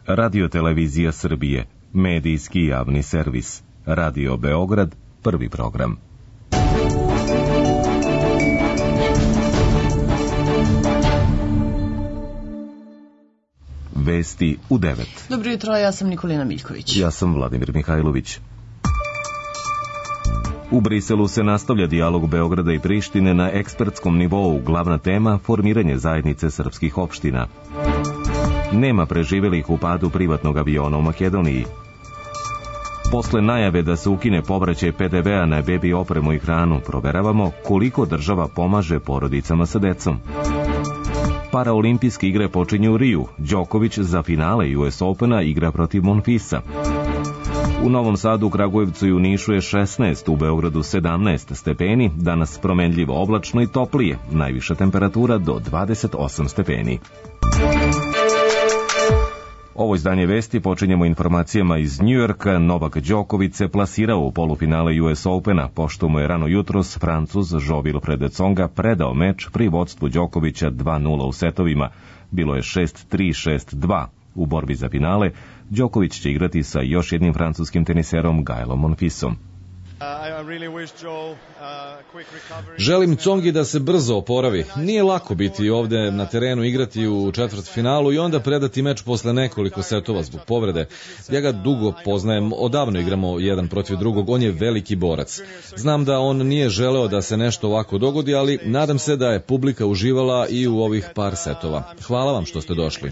Radio-televizija Srbije, medijski javni servis. Radio Beograd, prvi program. Vesti u 9. Dobro jutro, ja sam Nikolina Miljković. Ja sam Vladimir Mihajlović. U Briselu se nastavlja dijalog Beograda i Prištine na ekspertskom nivou, glavna tema formiranje zajednice srpskih opština. Nema preživelih u padu privatnog aviona u Makedoniji. Posle najave da se ukine povraćaj PDV-a na bebi opremu i hranu, proveravamo koliko država pomaže porodicama sa decom. Paraolimpijske igre počinju u Riju. Đoković za finale US Opena igra protiv Monfisa. U Novom Sadu, Kragujevcu i u Nišu je 16, u Beogradu 17 stepeni, danas promenljivo oblačno i toplije, najviša temperatura do 28 stepeni. Ovo izdanje vesti počinjemo informacijama iz Njujorka. Novak Đoković se plasirao u polufinale US Opena, pošto mu je rano jutros Francuz Jo-Wilfried Tsonga predao meč pri vodstvu Đokovića 2:0 u setovima. Bilo je 6-3, 6-2. U borbi za finale, Đoković će igrati sa još jednim francuskim teniserom Gaelom Monfisom. Želim Tsongi da se brzo oporavi. Nije lako biti ovde na terenu, igrati u četvrtfinalu i onda predati meč posle nekoliko setova zbog povrede. Ja ga dugo poznajem, odavno igramo jedan protiv drugog, on je veliki borac. Znam da on nije želeo da se nešto ovako dogodi, ali nadam se da je publika uživala i u ovih par setova. Hvala vam što ste došli.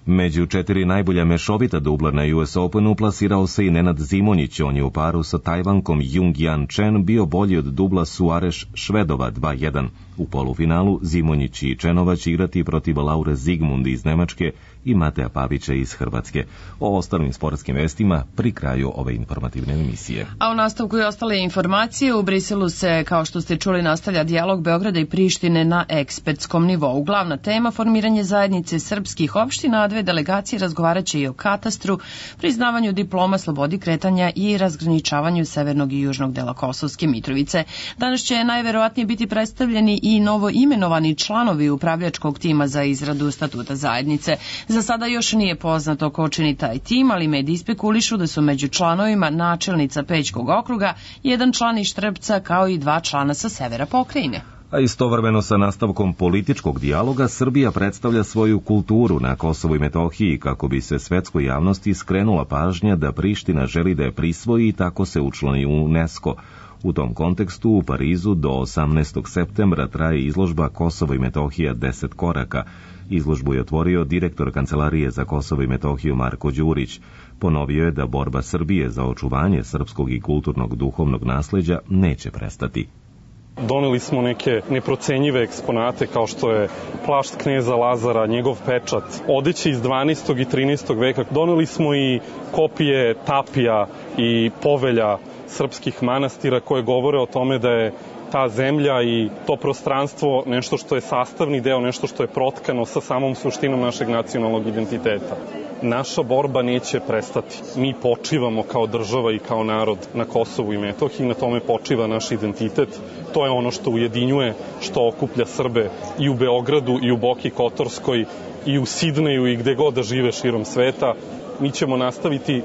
Među 4 najbolja mešovita dubla na US Openu plasirao se i Nenad Zimonjić. On je u paru sa Tajvankom Jung-Jan Chen bio bolji od dubla Suareš-Švedova 2:1. U polufinalu Zimonjić i Čenova će igrati protiv Laure Zigmund iz Nemačke i Mateja Pavića iz Hrvatske. O ostalim sportskim vestima pri kraju ove informativne emisije. A u nastavku i ostale informacije, u Briselu se, kao što ste čuli, nastavlja dijalog Beograda i Prištine na ekspertskom nivou. Glavna tema formiranje zajednice srpskih opština, a dve delegacije razgovaraće i o katastru, priznavanju diploma, slobodi kretanja i razgraničavanju severnog i južnog dela Kosovske Mitrovice. Danas će najverovatnije biti predstavljeni i novo imenovani članovi upravljačkog tima za izradu statuta zajednice. Za sada još nije poznato ko čini taj tim, ali mediji spekulišu da su među članovima načelnica Pećkog okruga, jedan član iz Štrpca kao i 2 člana sa severa pokrajine. A istovremeno sa nastavkom političkog dijaloga, Srbija predstavlja svoju kulturu na Kosovu i Metohiji kako bi se svetskoj javnosti skrenula pažnja da Priština želi da je prisvoji i tako se učlani u UNESCO. U tom kontekstu u Parizu do 18. septembra traje izložba Kosovo i Metohija 10 koraka. Izložbu je otvorio direktor Kancelarije za Kosovo i Metohiju Marko Đurić. Ponovio je da borba Srbije za očuvanje srpskog i kulturnog duhovnog nasleđa neće prestati. Doneli smo neke neprocenjive eksponate kao što je plašt kneza Lazara, njegov pečat, odeće iz 12. i 13. veka. Doneli smo i kopije tapija i povelja srpskih manastira koje govore o tome da je ta zemlja i to prostranstvo nešto što je sastavni deo, nešto što je protkano sa samom suštinom našeg nacionalnog identiteta. Naša borba neće prestati. Mi počivamo kao država i kao narod na Kosovu i Metohiji, na tome počiva naš identitet. To je ono što ujedinjuje, što okuplja Srbe i u Beogradu, i u Boki Kotorskoj, i u Sidneju, i gde god da žive širom sveta. Mi ćemo nastaviti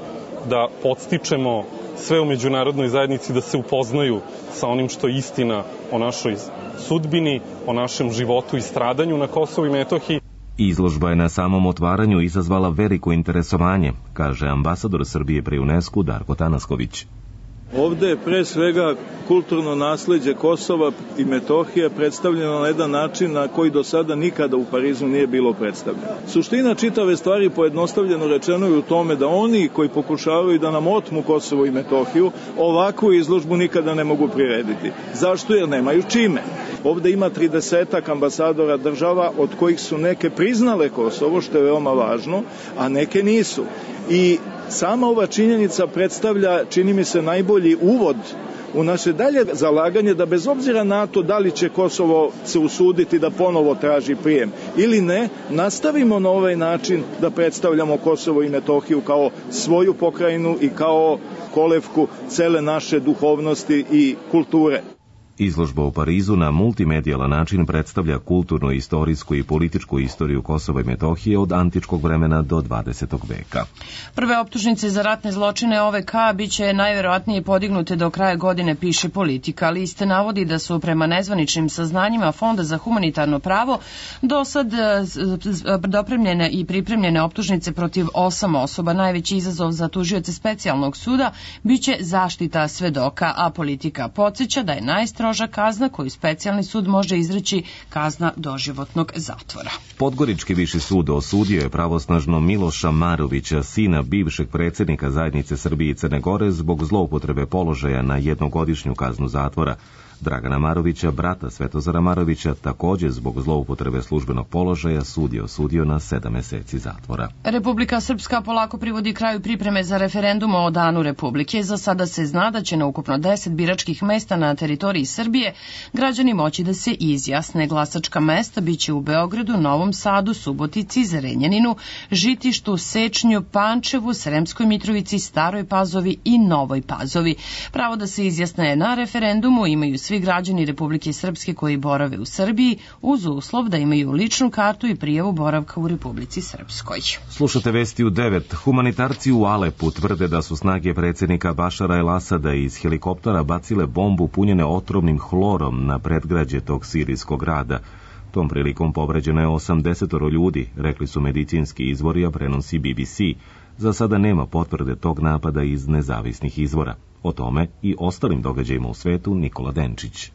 da podstičemo sve u međunarodnoj zajednici da se upoznaju sa onim što je istina o našoj sudbini, o našem životu i stradanju na Kosovu i Metohiji. Izložba je na samom otvaranju izazvala veliko interesovanje, kaže ambasador Srbije pri UNESCO Darko Tanasković. Ovde je pre svega kulturno nasleđe Kosova i Metohije predstavljeno na jedan način na koji do sada nikada u Parizu nije bilo predstavljeno. Suština čitave stvari, pojednostavljeno rečeno, je u tome da oni koji pokušavaju da nam otmu Kosovo i Metohiju ovakvu izložbu nikada ne mogu prirediti. Zašto? Jer nemaju čime. Ovde ima 30 ambasadora država, od kojih su neke priznale Kosovo, što je veoma važno, a neke nisu. I sama ova činjenica predstavlja, čini mi se, najbolji uvod u naše dalje zalaganje da bez obzira na to da li će Kosovo se usuditi da ponovo traži prijem ili ne, nastavimo na ovaj način da predstavljamo Kosovo i Metohiju kao svoju pokrajinu i kao kolevku cele naše duhovnosti i kulture. Izložba u Parizu na multimedijalan način predstavlja kulturnu, istorijsku i političku istoriju Kosova i Metohije od antičkog vremena do 20. veka. Prve optužnice za ratne zločine OVK biće najverovatnije podignute do kraja godine, piše Politika. List navodi da su prema nezvaničnim saznanjima Fonda za humanitarno pravo do sad dopremljene i pripremljene optužnice protiv 8 osoba. Najveći izazov za tužioce specijalnog suda biće zaštita svedoka, a Politika podsjeća da je najstroža kazna koju specijalni sud može izreći kazna doživotnog zatvora. Podgorički viši sud osudio je pravosnažno Miloša Marovića, sina bivšeg predsjednika Zajednice Srbije i Crne Gore, zbog zloupotrebe položaja na jednogodišnju kaznu zatvora. Dragana Marovića, brata Svetozara Marovića, također zbog zloupotrebe službenog položaja sud je osudio na 7 meseci zatvora. Republika Srpska polako privodi kraju pripreme za referendum o Danu Republike. Za sada se zna da će na ukupno 10 biračkih mesta na teritoriji Srbije građani moći da se izjasne. Glasačka mesta biće u Beogradu, Novom Sadu, Subotici, Zrenjaninu, Žitištu, Sečnju, Pančevu, Sremskoj Mitrovici, Staroj Pazovi i Novoj Pazovi. Pravo da se izjasne na referendumu imaju svi građani Republike Srpske koji borave u Srbiji, uz uslov da imaju ličnu kartu i prijavu boravka u Republici Srpskoj. Slušate vesti u 9. Humanitarci u Alepu tvrde da su snage predsjednika Bašara el-Asada iz helikoptera bacile bombu punjene otrovnim hlorom na predgrađe tog sirijskog grada. Tom prilikom povređeno je 80 ljudi, rekli su medicinski izvori, a prenosi BBC. Za sada nema potvrde tog napada iz nezavisnih izvora. O tome i ostalim događajima u svetu Nikola Denčić.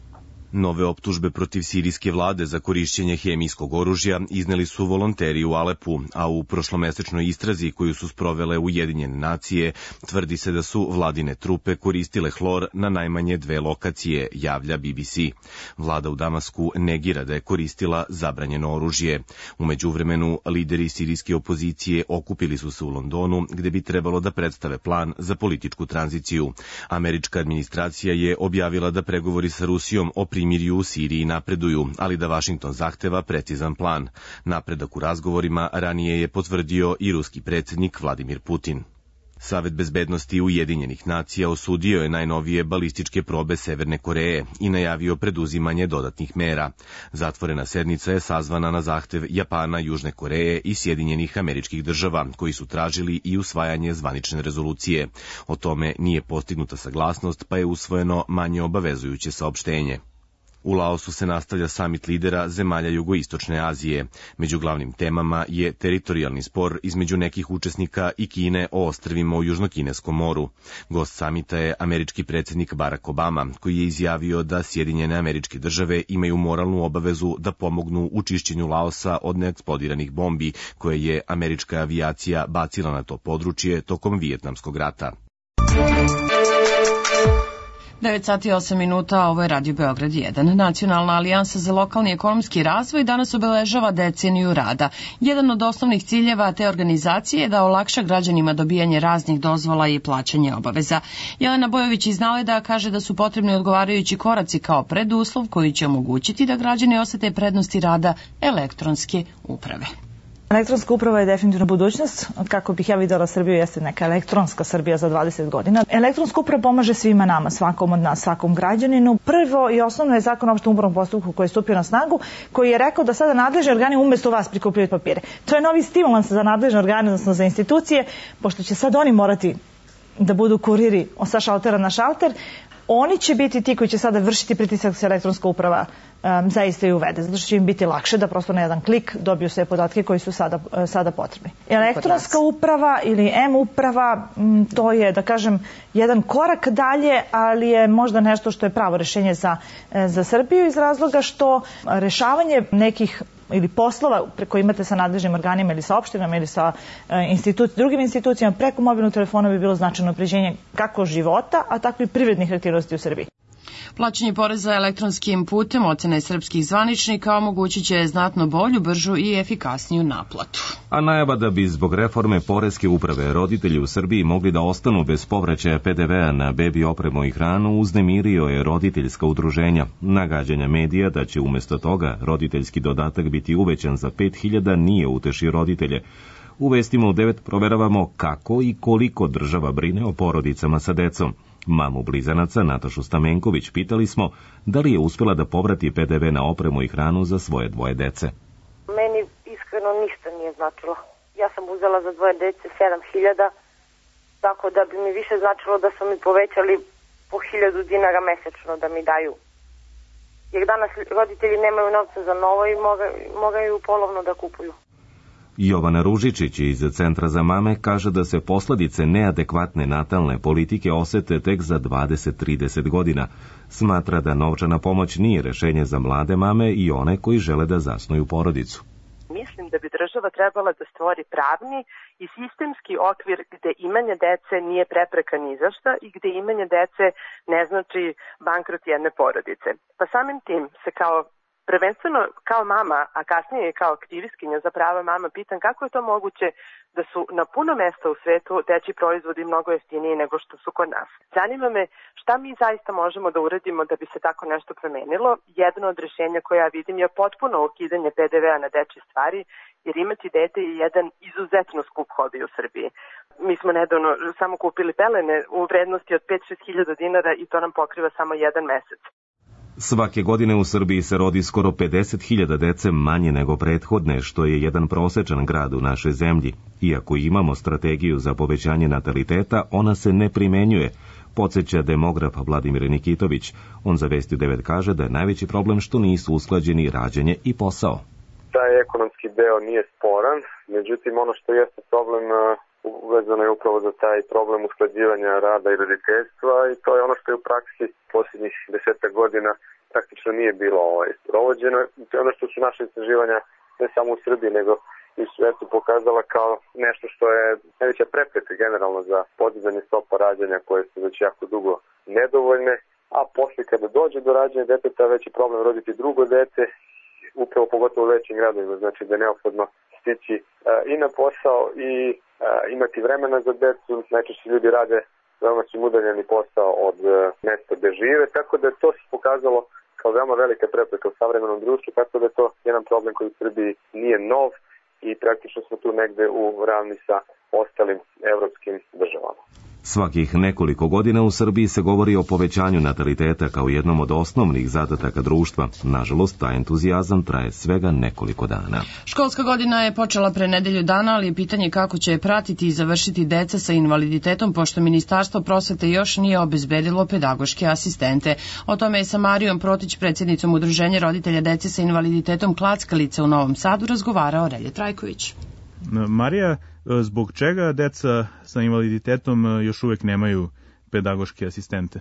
Nove optužbe protiv sirijske vlade za korišćenje hemijskog oružja izneli su volonteri u Alepu, a u prošlomesečnoj istrazi koju su sprovele Ujedinjene nacije tvrdi se da su vladine trupe koristile hlor na najmanje 2 lokacije, javlja BBC. Vlada u Damasku negira da je koristila zabranjeno oružje. U međuvremenu, lideri sirijske opozicije okupili su se u Londonu, gde bi trebalo da predstave plan za političku tranziciju. Američka administracija je objavila da pregovori sa Rusijom o primirju u Siriji napreduju, ali da Vašington zahteva precizan plan. Napredak u razgovorima ranije je potvrdio i ruski predsjednik Vladimir Putin. Savet bezbednosti Ujedinjenih nacija osudio je najnovije balističke probe Severne Koreje i najavio preduzimanje dodatnih mera. Zatvorena sednica je sazvana na zahtev Japana, Južne Koreje i Sjedinjenih Američkih Država, koji su tražili i usvajanje zvanične rezolucije. O tome nije postignuta saglasnost, pa je usvojeno manje obavezujuće saopštenje. U Laosu se nastavlja samit lidera zemalja Jugoistočne Azije. Među glavnim temama je teritorijalni spor između nekih učesnika i Kine o ostrvima u Južnokineskom moru. Gost samita je američki predsjednik Barack Obama, koji je izjavio da Sjedinjene Američke Države imaju moralnu obavezu da pomognu u čišćenju Laosa od neeksplodiranih bombi koje je američka avijacija bacila na to područje tokom Vijetnamskog rata. 9 sati i 8 minuta, ovo je Radio Beograd 1. Nacionalna alijansa za lokalni ekonomski razvoj danas obeležava deceniju rada. Jedan od osnovnih ciljeva te organizacije je da olakša građanima dobijanje raznih dozvola i plaćanje obaveza. Jelena Bojović iz Naleda kaže da su potrebni odgovarajući koraci kao preduslov koji će omogućiti da građani osete prednosti rada elektronske uprave. Elektronska uprava je definitivno budućnost. Kako bih ja videla Srbiju, jeste neka elektronska Srbija za 20 godina. Elektronska uprava pomaže svima nama, svakom od nas, svakom građaninu. Prvo i osnovno je zakon o opštem upravnom postupku koji je stupio na snagu, koji je rekao da sada nadležni organi umesto vas prikupljaju papire. To je novi stimulans za nadležne organe, odnosno za institucije, pošto će sad oni morati da budu kuriri sa šaltera na šalter. Oni će biti ti koji će sada vršiti pritisak da se elektronska uprava zaista i uvede, zato što će im biti lakše da prosto na jedan klik dobiju sve podatke koji su sada potrebni. Elektronska uprava ili e-uprava, to je, da kažem, jedan korak dalje, ali je možda nešto što je pravo rešenje za Srbiju iz razloga što rešavanje nekih ili poslova koje imate sa nadležnim organima ili sa opštinama ili sa drugim institucijama preko mobilnog telefona bi bilo značajno unapređenje kako života, a tako i privrednih aktivnosti u Srbiji. Plaćanje poreza elektronskim putem ocene srpskih zvaničnika omogućit će znatno bolju, bržu i efikasniju naplatu. A najava da bi zbog reforme poreske uprave roditelji u Srbiji mogli da ostanu bez povraćaja PDV-a na bebi opremu i hranu uznemirio je roditeljska udruženja. Nagađanja medija da će umjesto toga roditeljski dodatak biti uvećan za 5.000 nije utešio roditelje. U vestima u 9 proveravamo kako i koliko država brine o porodicama sa decom. Mamu blizanaca Natašu Stamenković pitali smo da li je uspjela da povrati PDV na opremu i hranu za svoje dvoje dece. Meni iskreno ništa nije značilo. Ja sam uzela za dvoje dece 7.000, tako da bi mi više značilo da su mi povećali po 1.000 dinara mesečno da mi daju. Jer danas roditelji nemaju novca za novo i moraju polovno da kupuju. Jovana Ružičić iz Centra za mame kaže da se posledice neadekvatne natalne politike osete tek za 20-30 godina. Smatra da novčana pomoć nije rešenje za mlade mame i one koji žele da zasnuju porodicu. Mislim da bi država trebala da stvori pravni i sistemski okvir gde imanje dece nije prepreka ni za šta i gde imanje dece ne znači bankrot jedne porodice. Pa samim tim se prvenstveno kao mama, a kasnije kao aktivistkinja za prava mama, pitam kako je to moguće da su na puno mesta u svetu dečji proizvodi mnogo jeftiniji nego što su kod nas. Zanima me šta mi zaista možemo da uradimo da bi se tako nešto promenilo. Jedno od rješenja koje ja vidim je potpuno ukidanje PDV-a na dečje stvari, jer imati dete je jedan izuzetno skup hobi u Srbiji. Mi smo nedavno samo kupili pelene u vrednosti od 5-6 hiljada dinara i to nam pokriva samo jedan mesec. Svake godine u Srbiji se rodi skoro 50.000 dece manje nego prethodne, što je jedan prosečan grad u našoj zemlji. Iako imamo strategiju za povećanje nataliteta, ona se ne primenjuje, podsjeća demograf Vladimir Nikitović. On za Vesti 9 kaže da je najveći problem što nisu usklađeni rađanje i posao. Taj ekonomski deo nije sporan, međutim ono što jeste problem uvezano je upravo za taj problem usklađivanja rada i roditeljstva i to je ono što je u praksi posljednjih 10 godina praktično nije bilo provođeno. To je ono što su naše istraživanja ne samo u Srbiji nego i u svetu pokazala kao nešto što je najveća prepreka generalno za podizanje stopa rađanja koje su već jako dugo nedovoljne, a posle kada dođe do rađanja deteta veći problem roditi drugo dete, upravo pogotovo u većim gradovima, znači da je neophodno stići i na posao i imati vremena za decu. Najčešće ljudi rade veoma su udaljeni posao od mesta gde žive, tako da je to se pokazalo kao veoma velika prepreka u savremenom društvu, tako da je to jedan problem koji u Srbiji nije nov i praktično smo tu negde u ravni sa ostalim evropskim državama. Svakih nekoliko godina u Srbiji se govori o povećanju nataliteta kao jednom od osnovnih zadataka društva. Nažalost, taj entuzijazam traje svega nekoliko dana. Školska godina je počela pre nedelju dana, ali je pitanje kako će je pratiti i završiti deca sa invaliditetom, pošto Ministarstvo prosvete još nije obezbedilo pedagoške asistente. O tome je sa Marijom Protić, predsjednicom Udruženja roditelja dece sa invaliditetom Klackalica u Novom Sadu, razgovarao Relje Trajković. Marija, zbog čega deca sa invaliditetom još uvek nemaju pedagoške asistente?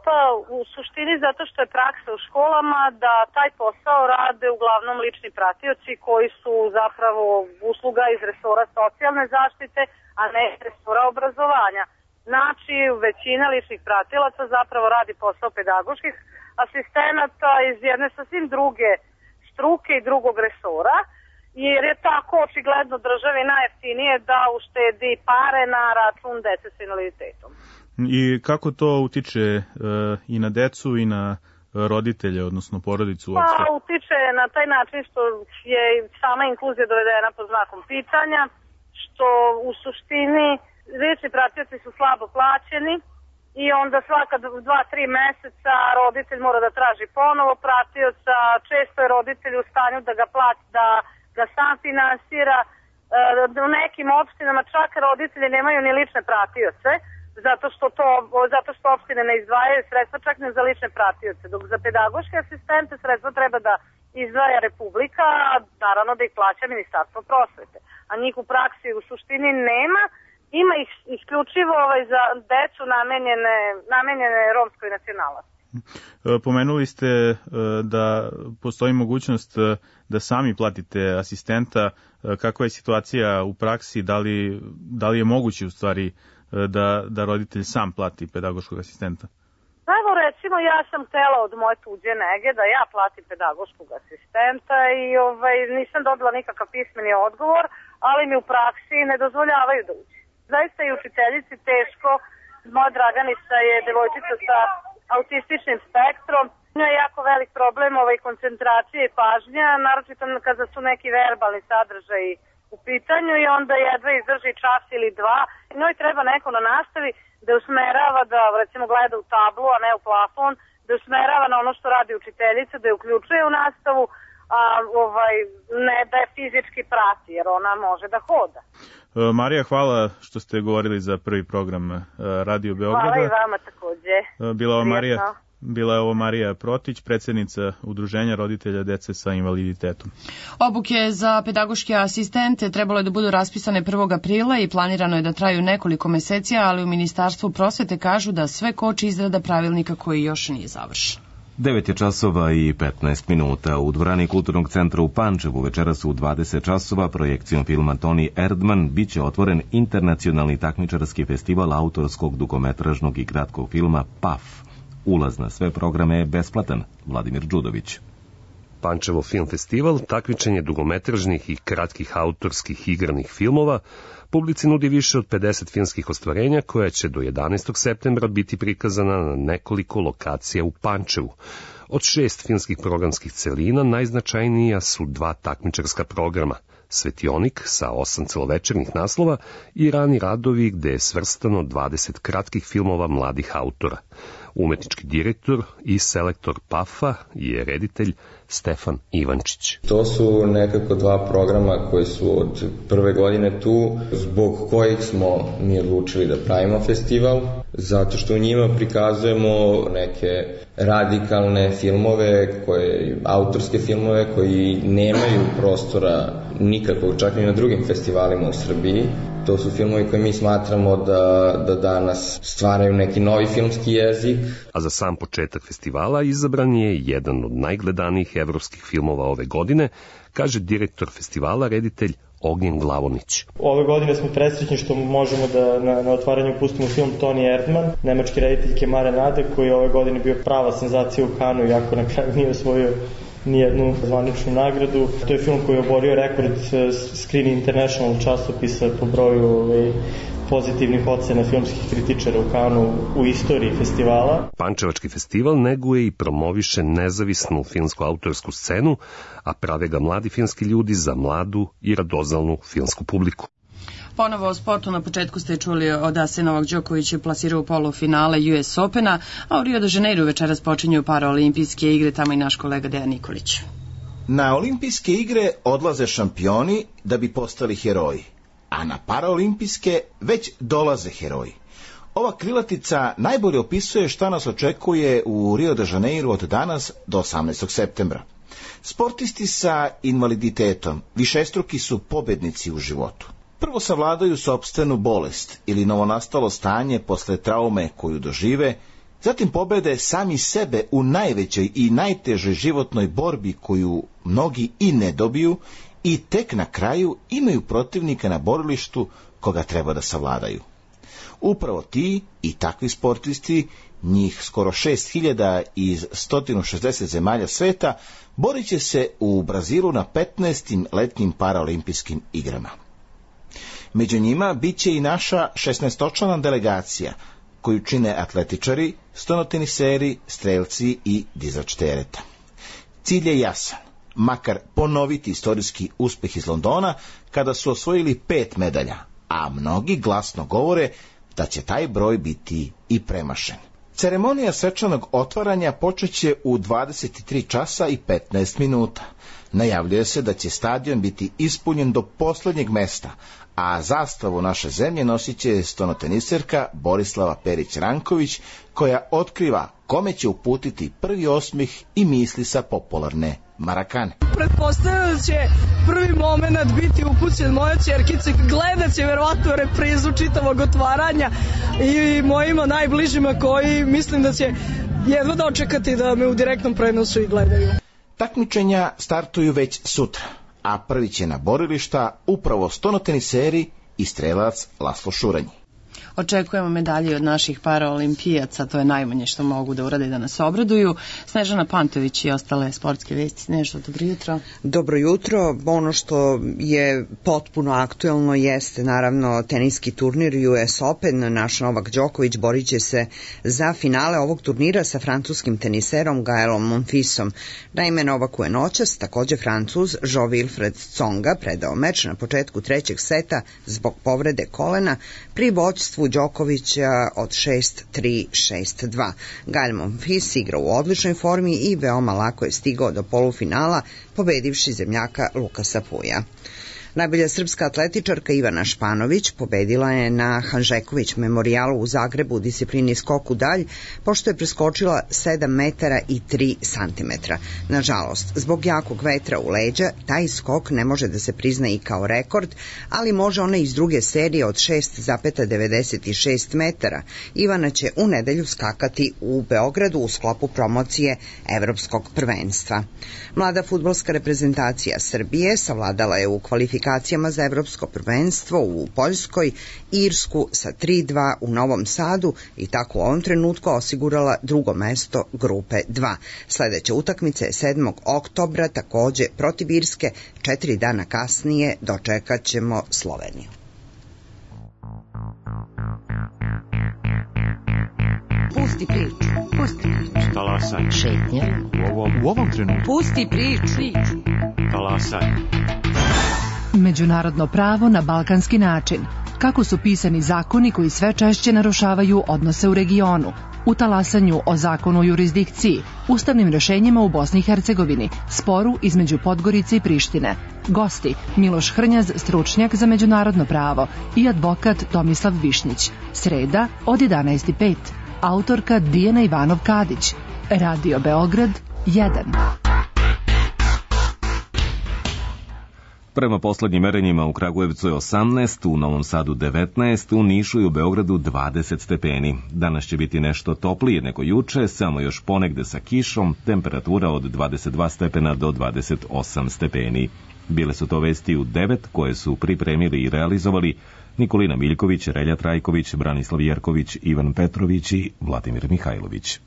Pa u suštini zato što je praksa u školama da taj posao rade uglavnom lični pratioci koji su zapravo usluga iz resora socijalne zaštite, a ne iz resora obrazovanja. Znači, većina ličnih pratilaca zapravo radi posao pedagoških asistenata iz jedne sasvim druge struke i drugog resora, jer je tako očigledno državi najjeftinije da uštedi pare na račun dece s invaliditetom. I kako to utiče i na decu i na roditelje, odnosno porodicu uopšte? Pa utiče na taj način što je sama inkluzija dovedena pod znakom pitanja, što u suštini lični pratioci su slabo plaćeni i onda svaka 2-3 meseca roditelj mora da traži ponovo pratioca, često je roditelj u stanju da ga plati, da sam finansira. U nekim opštinama čak roditelji nemaju ni lične pratioce, zato što opštine ne izdvajaju sredstva čak ne za lične pratioce, dok za pedagoške asistente sredstva treba da izdvaja Republika, a naravno da ih plaća Ministarstvo prosvete. A njih u praksi u suštini nema, ima ih isključivo za decu namenjene romskoj nacionalnosti. Pomenuli ste da postoji mogućnost da sami platite asistenta. Kakva je situacija u praksi? Da li je moguće u stvari da roditelj sam plati pedagoškog asistenta? Evo recimo ja sam htela od moje tuđe nege da ja platim pedagoškog asistenta i nisam dobila nikakav pismeni odgovor, ali mi u praksi ne dozvoljavaju da uđe. Zaista i učiteljici teško. Moja Draganica je devojčica sa autističnim spektrom. Njoj je jako velik problem koncentracije i pažnja, naročito kada su neki verbalni sadržaji u pitanju i onda jedva izdrži čas ili dva. Njoj treba neko na nastavi da usmerava, da recimo gleda u tablu, a ne u plafon, da usmerava na ono što radi učiteljica, da je uključuje u nastavu, a ne da je fizički prati, jer ona može da hoda. Marija, hvala što ste govorili za prvi program Radio Beograda. Hvala i vama takođe. Bila je ovo Marija Protić, predsjednica Udruženja roditelja dece sa invaliditetom. Obuke za pedagoške asistente trebalo je da budu raspisane 1. aprila i planirano je da traju nekoliko meseci, ali u Ministarstvu prosvete kažu da sve koči izrada pravilnika koji još nije završen. 9 je časova i 15 minuta. U dvorani Kulturnog centra u Pančevu večeras u 20 časova projekcijom filma Toni Erdman biće otvoren internacionalni takmičarski festival autorskog dugometražnog i kratkog filma PAF. Ulaz na sve programe je besplatan. Vladimir Đudović. Pančevo film festival takmičenje dugometražnih i kratkih autorskih igranih filmova publici nudi više od 50 filmskih ostvarenja koja će do 11. septembra biti prikazana na nekoliko lokacija u Pančevu. Od 6 filmskih programskih celina najznačajnija su 2 takmičarska programa, Svetionik sa 8 celovečernjih naslova i Rani radovi gde je svrstano 20 kratkih filmova mladih autora. Umetnički direktor i selektor PAF-a je reditelj Stefan Ivančić. To su nekako 2 programa koji su od prve godine tu, zbog kojih smo mi odlučili da pravimo festival, zato što u njima prikazujemo neke radikalne filmove, autorske filmove koji nemaju prostora nikakvog, čak ni na drugim festivalima u Srbiji. To su filmovi koje mi smatramo da danas stvaraju neki novi filmski jezik. A za sam početak festivala izabran je jedan od najgledanijih evropskih filmova ove godine, kaže direktor festivala, reditelj Ognjen Glavonić. Ove godine smo presrećni što možemo da na otvaranju pustimo film Toni Erdman, nemačke rediteljke Mare Nade, koji je ove godine bio prava senzacija u Kanu, iako na kraju nije osvojio nijednu zvaničnu nagradu. To je film koji je oborio rekord Screen International časopisa po broju pozitivnih ocena filmskih kritičara u Kanu u istoriji festivala. Pančevački festival neguje i promoviše nezavisnu filmsku autorsku scenu, a prave ga mladi filmski ljudi za mladu i radoznalnu filmsku publiku. Ponovo o sportu. Na početku ste čuli da se Novak Đoković plasirao u polufinale US Opena, a u Rio de Janeiro večeras počinju paraolimpijske igre, tamo i naš kolega Dejan Nikolić. Na olimpijske igre odlaze šampioni da bi postali heroji, a na paraolimpijske već dolaze heroji. Ova krilatica najbolje opisuje šta nas očekuje u Rio de Janeiro od danas do 18. septembra. Sportisti sa invaliditetom višestruki su pobednici u životu. Prvo savladaju sopstvenu bolest ili novonastalo stanje posle traume koju dožive, zatim pobede sami sebe u najvećoj i najtežoj životnoj borbi koju mnogi i ne dobiju i tek na kraju imaju protivnika na borilištu koga treba da savladaju. Upravo ti i takvi sportisti, njih skoro 6000 iz 160 zemalja sveta, borit će se u Brazilu na 15. letnjim paraolimpijskim igrama. Među njima bit će i naša 16-člana delegacija, koju čine atletičari, stonoteniseri, strelci i dizač tereta. Cilj je jasan, makar ponoviti istorijski uspeh iz Londona, kada su osvojili 5 medalja, a mnogi glasno govore da će taj broj biti i premašen. Ceremonija svečanog otvaranja počeće u 23 časa i 15 minuta. Najavljuje se da će stadion biti ispunjen do poslednjeg mesta, a zastavu naše zemlje nosit će stonoteniserka Borislava Perić-Ranković, koja otkriva kome će uputiti prvi osmih i misli sa popularne Marakane. Pretpostavljam da će prvi moment biti upućen moja ćerkica, gledat će verovatno reprizu čitavog otvaranja i mojima najbližima koji mislim da će jedva dočekati da me u direktnom prenosu i gledaju. Takmičenja startuju već sutra, a prvi će na borilišta upravo stonoteniseri i strelac Laslo Šuranj. Očekujemo medalje od naših paraolimpijaca, to je najmanje što mogu da urade da nas obraduju. Snežana Pantović i ostale sportske vesti. Snežo, dobro jutro. Dobro jutro. Ono što je potpuno aktuelno jeste naravno teniski turnir US Open. Naš Novak Đoković borit će se za finale ovog turnira sa francuskim teniserom Gaelom Monfisom. Naime, Novaku je noćas takođe Francuz Jo-Wilfried Tsonga predao meč na početku trećeg seta zbog povrede kolena pri vođstvu Đokovića od 6-3, 6-2. Gael Monfils igra u odličnoj formi i veoma lako je stigao do polufinala, pobedivši zemljaka Lukasa Puja. Najbolja srpska atletičarka Ivana Španović pobedila je na Hanžeković memorijalu u Zagrebu u disciplini skok u dalj, pošto je preskočila 7 metara i 3 santimetra. Nažalost, zbog jakog vetra u leđa, taj skok ne može da se prizna i kao rekord, ali može ona iz druge serije od 6,96 metara. Ivana će u nedelju skakati u Beogradu u sklopu promocije Evropskog prvenstva. Mlada fudbalska reprezentacija Srbije savladala je u kvalifikacijama za Evropsko prvenstvo u Poljskoj Irsku sa 3-2 u Novom Sadu i tako u ovom trenutku osigurala drugo mesto grupe 2. Sledeća utakmica je 7. oktobra takođe protiv Irske, 4 dana kasnije dočekat ćemo Sloveniju. Pusti priču. Pusti priču. Talasaj. Šetnja. U ovom trenutku. Pusti priču. Talasaj. Međunarodno pravo na balkanski način. Kako su pisani zakoni koji sve češće narušavaju odnose u regionu. U talasanju o zakonu o jurisdikciji, ustavnim rešenjima u Bosni i Hercegovini, sporu između Podgorice i Prištine. Gosti Miloš Hrnjaz, stručnjak za međunarodno pravo, i advokat Tomislav Višnjić. Sreda od 11:05. Autorka Dijana Ivanov-Kadić. Radio Beograd 1. Prema poslednjim merenjima u Kragujevcu je 18, u Novom Sadu 19, u Nišu i u Beogradu 20 stepeni. Danas će biti nešto toplije nego juče, samo još ponegde sa kišom, temperatura od 22 stepena do 28 stepeni. Bile su to vesti u 9 koje su pripremili i realizovali Nikolina Miljković, Relja Trajković, Branislav Jerković, Ivan Petrović i Vladimir Mihajlović.